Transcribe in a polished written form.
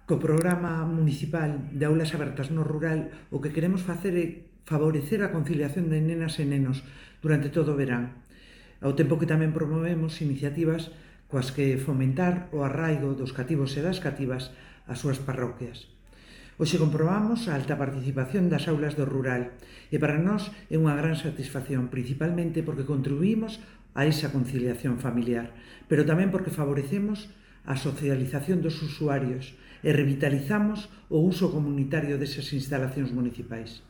Co programa municipal de aulas abertas no rural, o que queremos facer é favorecer a conciliación de nenas e nenos durante todo o verán, ao tempo que tamén promovemos iniciativas coas que fomentar o arraigo dos cativos e das cativas ás súas parroquias. Hoxe comprobamos a alta participación das aulas do rural e para nós é unha gran satisfacción, principalmente porque contribuímos a esa conciliación familiar, pero tamén porque favorecemos a socialización dos usuarios e revitalizamos o uso comunitario desas instalacións municipais.